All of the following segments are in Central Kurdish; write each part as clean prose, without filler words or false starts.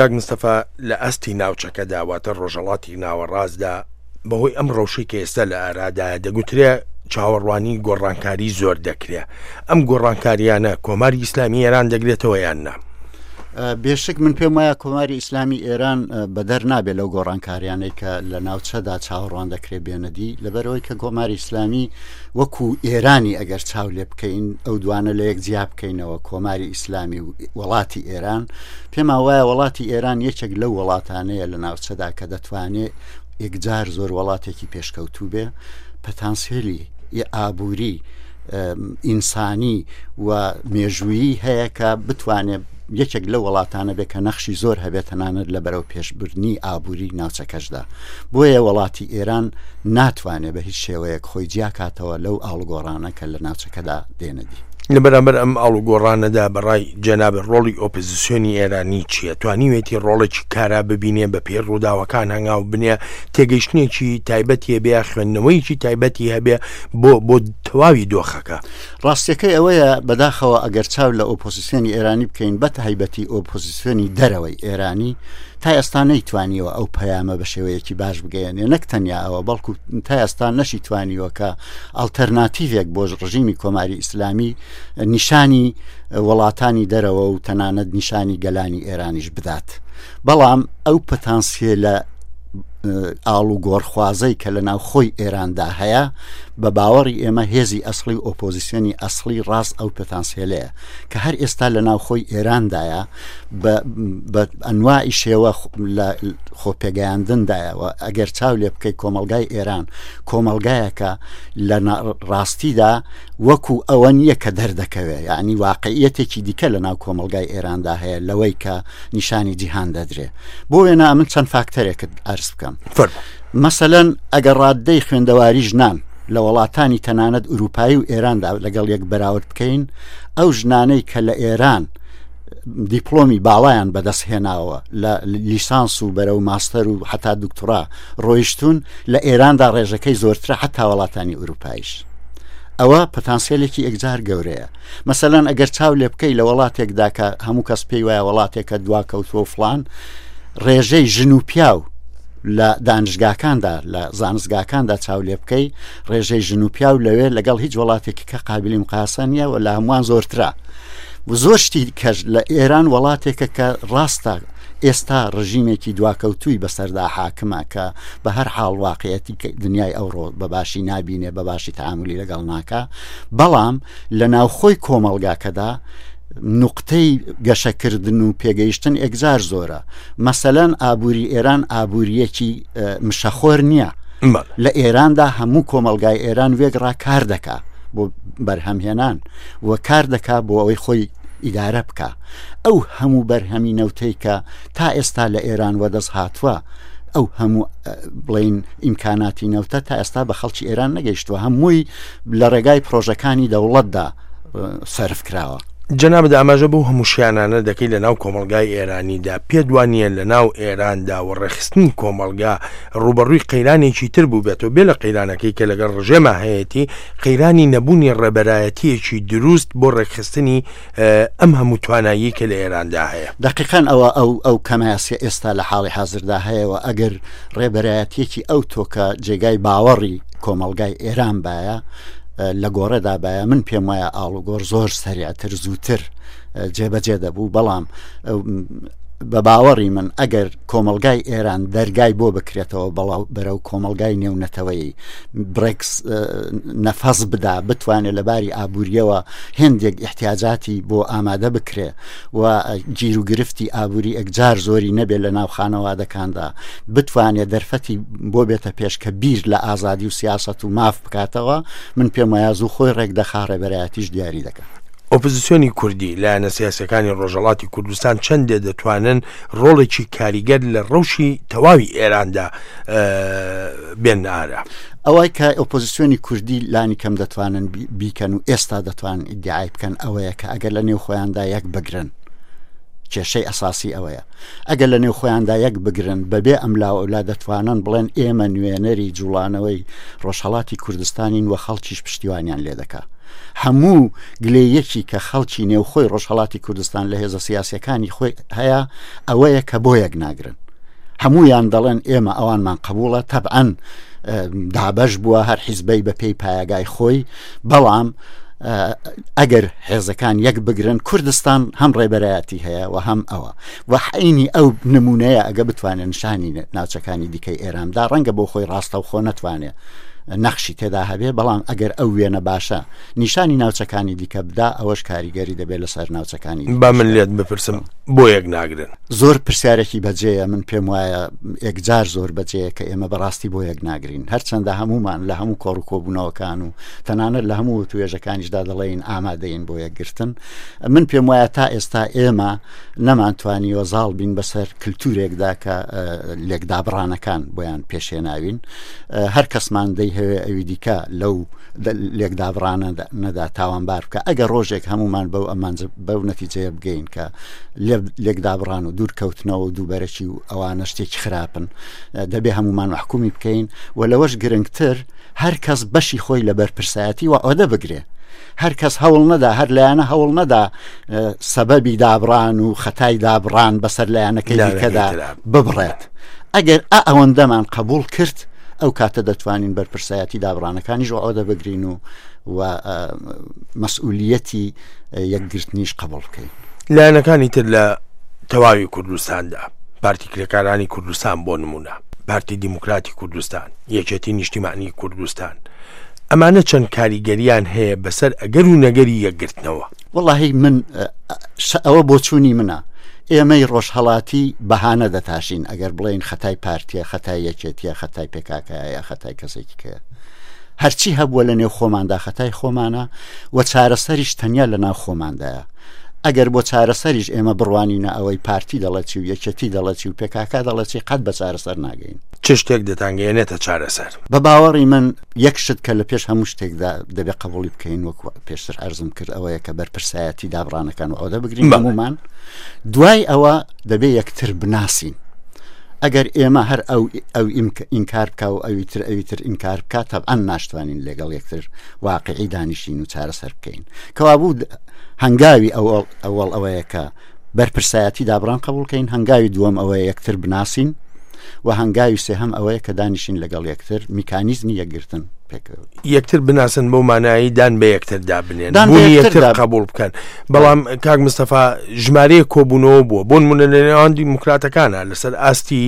کاک مستەفا لە ئاستی ناوچەکەدا واتە ڕۆژهەڵاتی ناوەڕاستدا بەهۆی ئەم ڕەوشەی کە ئێستا لە ئارادایە دەگوترێ چاوەڕوانی گۆڕانکاری زۆر دەکرێ ئەم گۆڕانکاریانە کۆماری ئیسلامی ئێران دەگرێتەوە یان نا؟ بێشک من پێم وایە کۆماری ئیسلامی ئێران بەدەر نابێت لەو گۆڕانکاریانەی کە لە ناوچەدا چاوەڕوان دەکرێت بێنەدی لەبەرەوەی کە کۆماری ئیسلامی وەکو ئێرانی ئەگەر چاو لێ بکەین ئەو دوانە لە یەک جیا بکەینەوە کۆماری ئیسلامی و وڵاتی ئێران پێمان وایە وڵاتی ئێران یەکێک لەو وڵاتانەیە لە ناوچەدا کە دەتوانێت یەکجار زۆر وڵاتێکی پێشکەوتوو بێ پەتانسێلی ئابووری ئینسانی و مێژوویی هەیە کە بتوانێت یەکێک لە وڵاتانە بێ کە نەخشی زۆر هەبێت تەنانەت لە بەرەو پێشبردنی ئابووری ناوچەکەشدا بۆیە وڵاتی ئێران ناتوانێت بە هیچ شێوەیەک خۆی جیاکاتەوە لەو ئاڵگۆڕانە کە لە ناوچەکەدا دێنەدی. لە بەرامبەر ئەم ئاڵوگۆڕانەدا بە ڕای جەنابت ڕۆڵی ئۆپزسیۆنی ئێرانی چییە؟ توانیوێتی ڕۆڵێکی کارا ببینێ، بە پێی ڕووداوەکان هەنگاو بنێ، تێگەیشتنێکی تایبەتی هەبێ یا خوێندنەوەیەکی تایبەتی هەبێ بۆ بۆ تەواوی دۆخەکە؟ ڕاستیەکەی ئەوەیە بەداخەوە ئەگەر چاو لە ئۆپۆزیسیۆنی ئێرانی بکەین بە تایبەتی ئۆپۆزیسیۆنی دەرەوەی ئێرانی تا ئێستا نەیتوانیوە ئەو پەیامە بە شێوەیەکی باش بگەیەنێ نەک تەنیا ئەوە بەڵکو تا ئێستا نەشی توانیوە کە ئەڵتەرناتیڤێک بۆ ڕژیمی کۆماری ئیسلامی نیشانی وڵاتانی دەرەوە و تەنانەت نیشانی گەلانی ئێرانیش بدات بەڵام ئەو پتانسیلە ئاڵوگۆڕخوازەی کە لە ناوخۆی ئێراندا هەیە بە باوەڕی ئێمە هێزی ئەسڵی و ئۆپۆزیسیۆنی ئەسڵی ڕاست ئەو پتانسیلەیە کە هەر ئێستا لە ناوخۆی ئێراندایە بە ئەنواعی شێوە لە خۆپێگەیاندندایە و ئەگەر چاو لێ بکەی کۆمەڵگای ئێران کۆمەڵگایەکە لە ڕاستیدا وەکو ئەوە نییە کە دەردەکەوێت یعنی واقعیەتێکی دیکە لە ناو کۆمەڵگای ئێراندا هەیە لەوەی کە نیشانی جیهان دەدرێ بۆ وێنا من چەند فاکتەرێکت ئەرز بکەم مەسەلەن ئەگەر ڕاددەی خوێندەواری ژنان لە وڵاتانی تەنانەت ئوروپایی و ئێراندا لەگەڵ یەک بەراورد بکەین ئەو ژنانەی کە لە ئێران دیپلۆمی باڵایان بەدەست هێناوە لە لیسانس و بەرەو ماستەر و حتا دکتۆرا ڕۆیشتون لە ئێراندا ڕێژەکەی زۆرترە حتا وڵاتانی ئوروپایش ئەوە پتانسیلێکی ئەکجار گەورەیە مەسەلەن ئەگەر چاو لێ بکەی لە وڵاتێکدا کە هەموو کەس پێی وایە وڵاتێکە دوا کەوتووە و فلان ڕێژەی ژن و پیاو لە دانشگاکاندا لە زانستگاکاندا چاو لێ بکەی ڕێژەی ژن و پیاو لەوێ لەگەڵ هیچ وڵاتێکی کە قابلی مقاسە نییە و لە هەمووان زۆرترە و زۆر شتی کەش لە ئێران وڵاتێکە کە ڕاستە ئێستا ڕژیمێکی دواکەوتووی بەسەردا حاکمە کە بە هەر حاڵ واقعەتی دنیای ئەوڕۆ بە باشی نابینێ بە باشی تعاملی لەگەڵ ناکە بەڵام لە ناوخۆی کۆمەڵگاکەدا نوقتەی گەشەکردن و پێگەیشتن ئێکجار زۆرە مەسەلەن ئابووری ئێران ئابووریەکی مشەخۆر نییە لە ئێراندا هەموو کۆمەلگای ئێران وێگڕا کار دەکا بۆ بەرهەمهێنان و کار دەکا بۆ ئەوەی خۆی ئیدارە بکە ئەو هەموو بەرهەمی نەوتەی کە تا ئێستا لە ئێران وەدەست هاتووە ئەو هەموو بڵین ئیمکاناتی نەوتە تا ئێستا بە خەڵکی ئێران نەگەیشتووە هەمووی لە ڕێگای پرۆژەکانی دەوڵەتدا سەرف کراوە. جەنابت ئاماژە بەو هەموو شیانانە دەکەی لە ناو کۆمەڵگای ئێرانیدا، پێت وا نییە لە ناو ئێراندا و ڕێکخستنی کۆمەڵگا ڕووبەڕووی قەیرانێکی تر بووبێتەوە بێ لە قەیرانەکەی کە لەگەڵ ڕژێما هەیەتی، قەیرانی نەبوونی ڕێبەرایەتییەکی دروست بۆ ڕێکخستنی ئەم هەموو تواناییەی کە لە ئێراندا هەیە؟ دەقیقەن ئەوە ئەو ئەو کەمایەسیە ئێستا لە حاڵی حازردا هەیە و ئەگەر ڕێبەرایەتیەکی ئەو تۆکە جێگای باوەڕی کۆمەڵگای ئێران بایە لە گۆڕێدا بایە من پێم وایە ئاڵوگۆڕ زۆر سەریعتر زووتر جێبەجێ دەبوو بەڵام بە باوەڕی من ئەگەر کۆمەلگای ئێران دەرگای بۆ بکرێتەوە بەڵاو بەرەو کۆمەلگای نێونەتەوەی برێکس نەفەس بدا بتوانێت لە باری ئابووریەوە هێندێک احتیاجاتی بۆ ئامادە بکرێ و گیروگرفتی ئابووری ئەکجار زۆری نەبێت لە ناو خانەوادەکاندا بتوانێت دەرفەتی بۆ بێتە پێش کە بیر لە ئازادی و سیاست و ماف بکاتەوە من پێم وایە زوو خۆی ڕێک دەخا ڕێبەرایەتیش دیاری دەکا. ئۆپزسیۆنی کوردی، لایەنە سیاسیەکانی ڕۆژهەڵاتی کوردستان چەندێ دەتوانن ڕۆڵێکی کاریگەر لە ڕەوشی تەواوی ئێراندا بێننە ئارا؟ ئەوەی کە ئۆپۆزیسیۆنی کوردی لانی کەم دەتوانن بیکەن و ئێستا دەتوانن ئیدعای بکەن ئەوەیە کە ئەگەر لە نێو خۆیاندا یەک بگرن کێشەی ئەساسی ئەوەیە ئەگەر لە نێو خۆیاندا یەک بگرن بەبێ ئەم لاوەلا دەتوانن بڵێن ئێمە نوێنەری جوڵانەوەی ڕۆژهڵاتی کوردستانین و خەڵکیش پشتیوانیان لێ دەکا. هەموو گلەیەکی کە خەڵکی نێوخۆی ڕۆژهەڵاتی کوردستان لە هێزە سیاسیەکانی خۆی هەیە ئەوەیە کە بۆ یەک ناگرن. هەموویان دەڵێن ئێمە ئەوانمان قبوڵە تەبعەن دابەش بووە هەر حیزبەی بە پێی پایەگای خۆی بەڵام ئەگەر حێزەکان یەک بگرن کوردستان هەم ڕێبەرایەتی هەیە و هەم ئەوە و حینی ئەو نمونەیە ئەگە بتوانێت نیشانی ناوچەکانی دیکەی ئێراندا ڕەنگە بۆ خۆی ڕاستەوخۆ نەتوانێت نەخشی تێدا هەبێ بەڵام ئەگەر ئەو وێنە باشە نیشانی ناوچەکانی دیکە بدا ئەوەش کاریگەری دەبێت لەسەر ناوچەکانی با من لێت بپرسم بۆ یەک ناگرن؟ زۆر پرسیارێکی بەجێیە من پێم وایە ئێکجار زۆر بەجێیە کە ئێمە بەڕاستی بۆ یەک ناگرین هەرچەندە هەمومان لە هەموو کۆڕ و کۆبوونەوەکان و تەنانەت لە هەموو توێژەکانیشدا دەڵێین ئامادەین بۆ یەکگرتن من پێم وایە تا ئێستا ئێمە نەمانتوانیوە زاڵ بین بەسەر کللتورێکدا کە لێکدابڕانەکان بۆیان پێشێناوین هەر کەسمان دەیهەوێ ئەوی دیکە لەو لێکدابڕانە نەدا تاوانبار بکە ئەگەر ڕۆژێک هەمومان بەو ئەمانج بەو نەتیجەیە بگەین کە لێکدابڕان و دوورکەوتنەوە و دووبەرەکی و ئەوانە شتێکی خراپن دەبێ هەمومان محکومی بکەین و لەوەش گرنگتر هەر کەس بەشی خۆی لە بەرپرسایەتی و ئەوە بگرێ هەر کەس هەوڵ نەدا هەر لایەنە هەوڵ نەدا سەبەبی دابڕان و خەتای دابڕان بەسەر لایەنەکەی دیکەدا ببڕێت ئەگەر ئا ئەوەندەمان قبول کرد ئەو کاتە دەتوانین بەرپرسایەتی دابڕانەکانیش ئەوە بگرین و و مەسئولیەتی یەکگرتنیش قبوڵ بکەین. لایەنەکانی تر لە تەواوی کوردستاندا، پارتی کرێکارانی کوردستان بۆ نموونە، پارتی دیموکراتی کوردستان، یەکێتی نیشتیمانی کوردستان، ئەمانە چەند کاریگەریان هەیە بەسەر ئەگەر و نەگەری یەکگرتنەوە؟ وەڵاهی من ئەوە بۆچوونی منە، ئێمەی ڕۆژهەڵاتی بەهانە دەتاشین ئەگەر بڵێین خەتای پارتیە، خەتای یەکێتیە، خەتای پێکاکایە یا خەتای کەسێکی کەیە. هەرچی هەبووە لە نێو خۆماندا خەتای خۆمانە و چارەسەریش تەنیا لە ناو خۆماندایە. ئەگەر بۆ چارەسەریش ئێمە بڕوانینە ئەوەی پارتی دەڵێ چی و یەکێتی دەڵێ چی و پێکاکا دەڵێ چی قەت بە چارەسەر ناگەین. چ شتێک دەتانگەیەنێتە چارەسەر؟ بە باوەڕی من یەک شت کە لە پێش هەموو شتێکدا دەبێ قەبووڵی بکەین وەکو پێشتر عەرزم کرد ئەوەیە کە بەرپرسایەتی دابڕانەکان و عۆدە بگرین هەموومان دوای ئەوە دەبێ یەکتر بناسین. ئەگەر ئێمە هەر ئەو ئەو ئینکار بکا و ئەوی تر ئەوی تر ئینکار بکا تەبعەن ناشتوانین لەگەڵ یەکتر واقعی دانیشین و چارەسەر بکەین کەوابوو هەنگاوی ئەوەڵ ئەوەڵ ئەوەیە کە بەرپرسایەتی دابڕان قبوڵکەین هەنگاوی دووەم ئەوەیە یەکتر بناسین و هەنگاوی سێهەم ئەوەیە کە دانیشین لەگەڵ یەکتر میکانیزمی یەکگرتن پێکەوە یەکتر بناسن بەو مانایی دان بە یەکتردا بنێن دان بە یەکتر قبول بکەن بەڵام کاک مستەفا ژمارەیە کۆبوونەوە بووە بۆن منە لە نێوان دیموکراتەکانە لەسەر ئاستی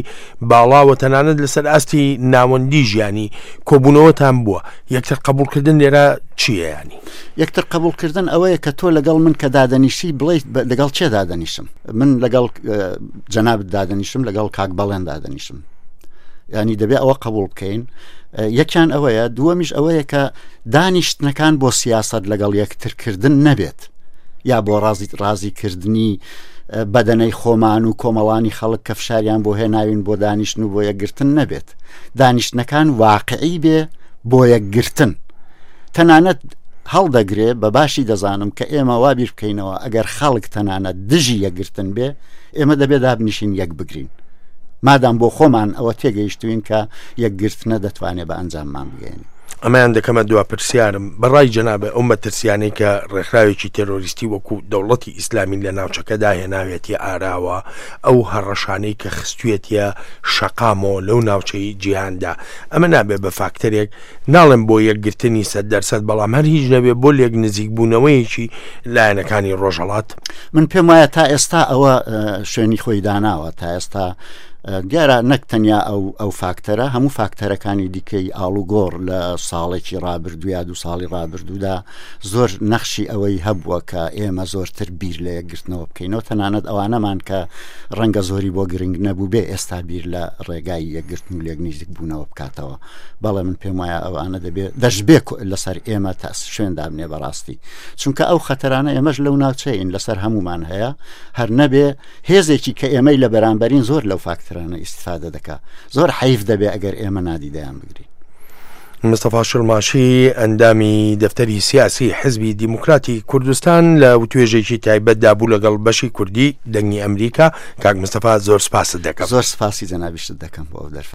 باڵاوە تەنانەت لەسەر ئاستی ناوەندی ژیانی کۆبوونەوەتان بووە یەکتر قبولکردن لێرە چییە ینی یەکتر قبولکردن ئەوەیە کە تۆ لەگەڵ من کە دادەنیشی بڵیت لەگەڵ چێ دادەنیشم من لەگەڵ جەنابت دادەنیشم لەگەڵ کاک بەڵێن دادەنیشم ینی دەبێ ئەوە قبول بکەین یەکیان ئەوەیە دووەمیش ئەوەیە کە دانیشتنەکان بۆ سیاست لەگەڵ یەکترکردن نەبێت یا بۆ ڕازی ڕازیکردنی بەدەنەی خۆمان و کۆمەڵانی خەڵک کە فشاریان بۆ هێناوین بۆ دانیشتن و بۆ یەکگرتن نەبێت دانیشتنەکان واقعی بێ بۆ یەکگرتن تەنانەت هەڵدەگرێ بە باشی دەزانم کە ئێمە وا بیر بکەینەوە ئەگەر خەڵک تەنانەت دژی یەکگرتن بێ ئێمە دەبێ دابنیشین یەک بگرین مادام بۆ خۆمان ئەوە تێگەیشتوین کە یەکگرتنە دەتوانێت بە ئەنجاممان بگەێنی. ئەمەیان دەکەمە دوا پرسیارم بەڕای جەنابت ئەو مەترسیانەی کە ڕێکخراوێکی تێرۆریستی وەکو دەوڵەتی ئیسلامی لە ناوچەکەدا هێناوێتیە ئاراوە ئەو هەڕەشانەی کە خستوێتیە شەقامەوە لەو ناوچەی جیهاندا ئەمە نابێ بە فاکتەرێک ناڵێم بۆ یەکگرتنی سەد دەرسەد بەڵام هەر هیچ نەبێ بۆ لێک نزیک بوونەوەیەکی لایەنەکانی ڕۆژهەڵات؟ من پێم وایە تا ئێستا ئەوە شوێنی خۆی داناوە تا ئێستا دیارە نەک تەنیا ئەو ئەو فاکتەرە هەموو فاکتەرەکانی دیکەی ئاڵوگۆڕ لە ساڵێکی ڕابردوو یا دوو ساڵی ڕابردوودا زۆر نەخشی ئەوەی هەبووە کە ئێمە زۆرتر بیر لە یەکگرتنەوە بکەینەوە تەنانەت ئەوانەمان کە ڕەنگە زۆری بۆ گرنگ نەبوو بێ ئێستا بیر لە ڕێگای یەکگرتن و لێک نزیک بوونەوە بکاتەوە بەڵێ من پێم وایە ئەوانە دەبێت دەشبێ لەسەر ئێمە تاس شوێن دابنێ بەڕاستی چونکە ئەو خەتەرانە ئێمەش لەو ناوچەین لەسەر هەمومان هەیە هەر نەبێ هێزێکی کە ئێمەی لە بەرامبەرین زۆر لەو فاکتەرانە ئیسیفادە دەکا زۆر حەیف دەبێ ئەگەر ئێمە نادیدەیان بگرین. مستەفا شڵماشی ئەندامی دەفتەری سیاسی حزبی دیموکراتی کوردستان لە وتوێژێکی تایبەتدا بوو لەگەڵ بەشی کوردی دەنگی ئەمریکا کاک مستەفا زۆر سپاست دەکەم زۆر سپاسی جەنابیشت دەکەم بۆ ئەو دەرفەتە.